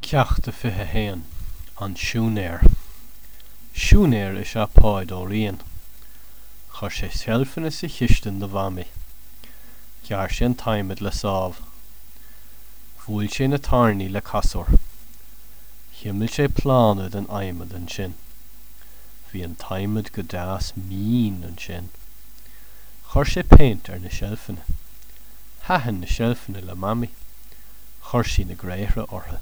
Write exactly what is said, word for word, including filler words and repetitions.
Ceacht a fiche a haon, An Siúinéir. Siúinéir is ea Páid Ó Riain. Chuir sé seilfeanna sa chistin do Mhamaí. Ghearr sé an t-adhmad le sábh. Bhuail sé na tairní le casúr. Chuimil sé plána den adhmad ansin. Bhí an t-adhmad go deas mín ansin. Chuir sé péint ar na seilfeanna. Thaitin na seilfeanna le Mamaí. Chuir sí na gréithre orthu.